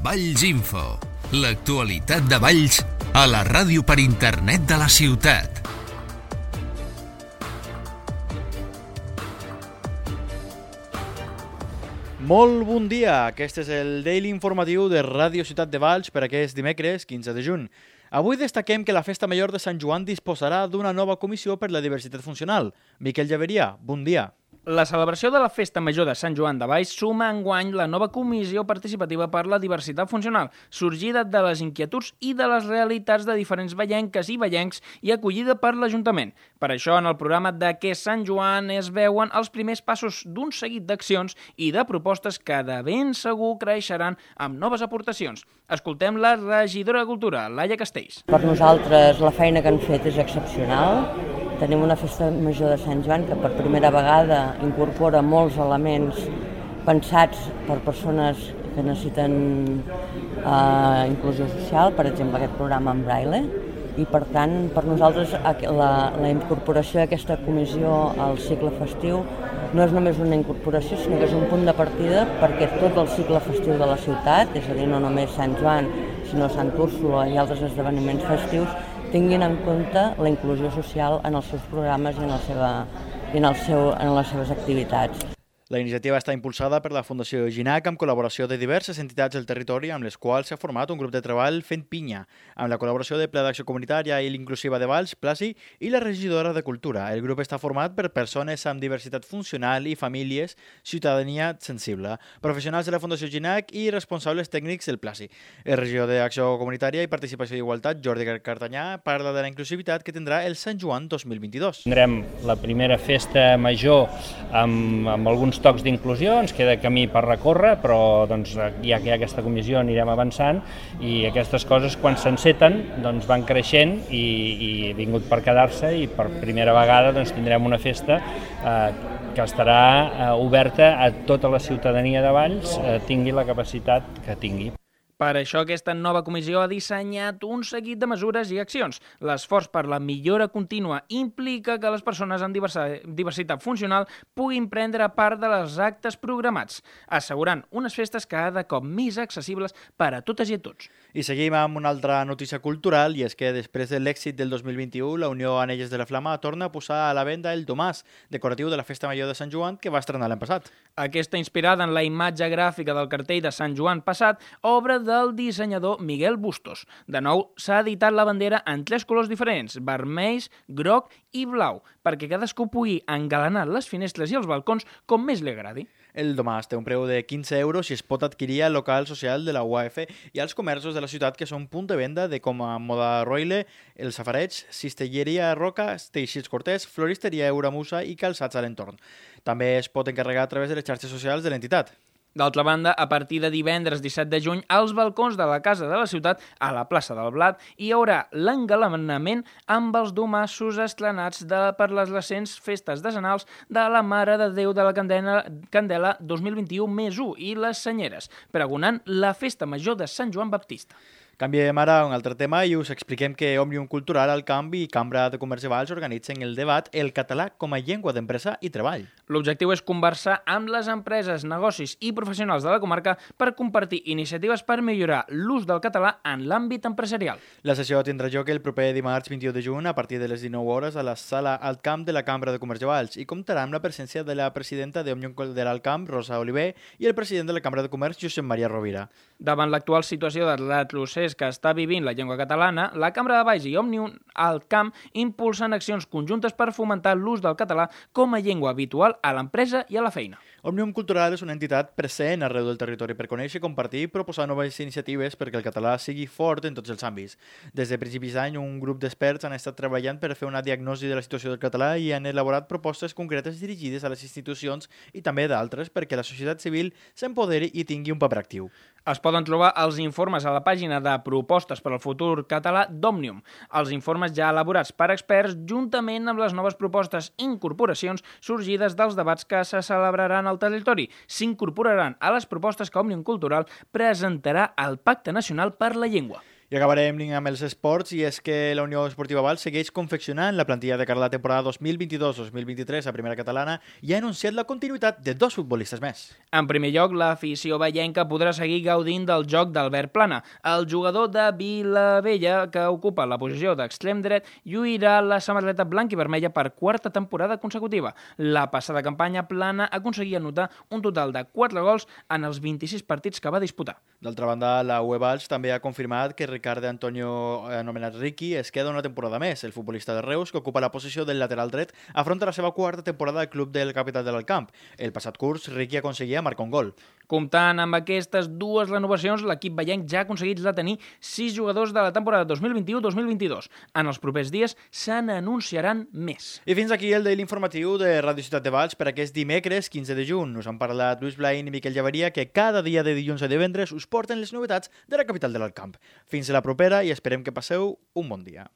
Valls Info, l'actualitat de Valls a la ràdio per internet de la ciutat. Molt bon dia, aquest és el Daily Informatiu de Ràdio Ciutat de Valls per aquest dimecres 15 de juny. Avui destaquem que la Festa Major de Sant Joan disposarà d'una nova comissió per la diversitat funcional. Miquel Llaveria, bon dia. La celebració de la Festa Major de Sant Joan de Valls suma enguany la nova Comissió Participativa per la Diversitat Funcional, sorgida de les inquietuds i de les realitats de diferents vallenques i vallencs i acollida per l'Ajuntament. Per això, en el programa d'Aquest Sant Joan es veuen els primers passos d'un seguit d'accions i de propostes que de ben segur creixeran amb noves aportacions. Escoltem la regidora de Cultura, Laia Castells. Per nosaltres la feina que han fet és excepcional. Tenim una festa major de Sant Joan que per primera vegada incorpora molts elements pensats per persones que necessiten inclusió social, per exemple aquest programa en braille, i per tant per nosaltres la incorporació d'aquesta comissió al cicle festiu no és només una incorporació, sinó que és un punt de partida perquè tot el cicle festiu de la ciutat, és a dir, no només Sant Joan, sinó Sant Úrsula i altres esdeveniments festius, tinguin en compte la inclusió social en els seus programes i en les seves activitats. La iniciativa està impulsada per la Fundació Ginac amb col·laboració de diverses entitats del territori amb les quals s'ha format un grup de treball fent pinya, amb la col·laboració de Pla d'Acció Comunitària i l'Inclusiva de Valls, Plasi, i la regidora de Cultura. El grup està format per persones amb diversitat funcional i famílies, ciutadania sensible, professionals de la Fundació Ginac i responsables tècnics del Plasi. El regidor d'Acció Comunitària i Participació d'Igualtat, Jordi Cartanyà, parla de la inclusivitat que tindrà el Sant Joan 2022. Tindrem la primera festa major amb alguns tocs d'inclusió, ens queda camí per recórrer, però doncs, ja que hi ha aquesta comissió anirem avançant i aquestes coses quan s'enceten doncs, van creixent i vingut per quedar-se i per primera vegada doncs, tindrem una festa que estarà oberta a tota la ciutadania de Valls, tingui la capacitat que tingui. Per això, aquesta nova comissió ha dissenyat un seguit de mesures i accions. L'esforç per la millora contínua implica que les persones amb diversitat funcional puguin prendre part dels actes programats, assegurant unes festes cada cop més accessibles per a totes i a tots. I seguim amb una altra notícia cultural, i és que després de l'èxit del 2021, la Unió Anelles de la Flama torna a posar a la venda el domàs decoratiu de la Festa Major de Sant Joan que va estrenar l'any passat. Aquesta, inspirada en la imatge gràfica del cartell de Sant Joan passat, obra del dissenyador Miguel Bustos. De nou, s'ha editat la bandera en 3 colors diferents, vermells, groc i blau, perquè cadascú pugui engalanar les finestres i els balcons com més li agradi. El domàs té un preu de 15 euros i es pot adquirir al local social de la UAF i als comerços de la ciutat que són punt de venda de com a Moda Roile, El Safareig, Cistelleria Roca, Teixits Cortés, Floristeria Euramusa i calçats a l'entorn. També es pot encarregar a través de les xarxes socials de l'entitat. D'altra banda, a partir de divendres 17 de juny, als balcons de la Casa de la Ciutat, a la plaça del Blat, hi haurà l'engalanament amb els domassos estrenats per les recents festes decenals de la Mare de Déu de la Candela 2021+1 i les Senyeres, pregonant la Festa Major de Sant Joan Baptista. Canviem ara a un altre tema i us expliquem que Òmnium Cultural, el Camp i Cambra de Comerç de Valls organitzen el debat El català com a llengua d'empresa i treball. L'objectiu és conversar amb les empreses, negocis i professionals de la comarca per compartir iniciatives per millorar l'ús del català en l'àmbit empresarial. La sessió tindrà lloc el proper dimarts 21 de juny a partir de les 19 hores a la sala Alt Camp de la Cambra de Comerç de Valls i comptarà amb la presència de la presidenta d'Òmnium Cultural Camp, Rosa Oliver, i el president de la Cambra de Comerç, Josep Maria Rovira. Davant l'actual situació de retrocés que està vivint la llengua catalana, la Cambra de Valls i Òmnium al Camp impulsen accions conjuntes per fomentar l'ús del català com a llengua habitual a l'empresa i a la feina. Òmnium Cultural és una entitat present arreu del territori per conèixer, compartir i proposar noves iniciatives perquè el català sigui fort en tots els àmbits. Des de principis d'any, un grup d'experts han estat treballant per fer una diagnosi de la situació del català i han elaborat propostes concretes dirigides a les institucions i també d'altres perquè la societat civil s'empoderi i tingui un paper actiu. Es poden trobar els informes a la pàgina de Propostes per al futur català d'Òmnium. Els informes ja elaborats per experts, juntament amb les noves propostes i incorporacions sorgides dels debats que se celebraran al territori, s'incorporaran a les propostes que Òmnium Cultural presentarà al Pacte Nacional per la Llengua. I acabarem amb els esports, i és que la Unió Esportiva Valls segueix confeccionant la plantilla de cara a la temporada 2022-2023 a Primera Catalana i ha anunciat la continuïtat de 2 futbolistes més. En primer lloc, l'afició vallenca podrà seguir gaudint del joc d'Albert Plana. El jugador de Vilavella, que ocupa la posició d'extrem dret, lluirà la samarreta blanca i vermella per 4a temporada consecutiva. La passada campanya, Plana aconseguia anotar un total de 4 gols en els 26 partits que va disputar. D'altra banda, la UE Valls també ha confirmat que Ricard Antonio, anomenat Ricky, es queda una temporada més. El futbolista de Reus, que ocupa la posició del lateral dret, afronta la seva 4a temporada al club del capital de l'Alcamp. El passat curs, Ricky aconseguia marcar un gol. Comptant amb aquestes 2 renovacions, l'equip vallenc ja ha aconseguit retenir 6 jugadors de la temporada 2021-2022. En els propers dies se n'anunciaran més. I fins aquí el Daily Informatiu de Ràdio Ciutat de Valls per aquest dimecres 15 de juny. Us han parlat Lluís Blain i Miquel Llaveria, que cada dia de dilluns a divendres us porten les novetats de la capital de l'Alcamp. Fins a la propera i esperem que passeu un bon dia.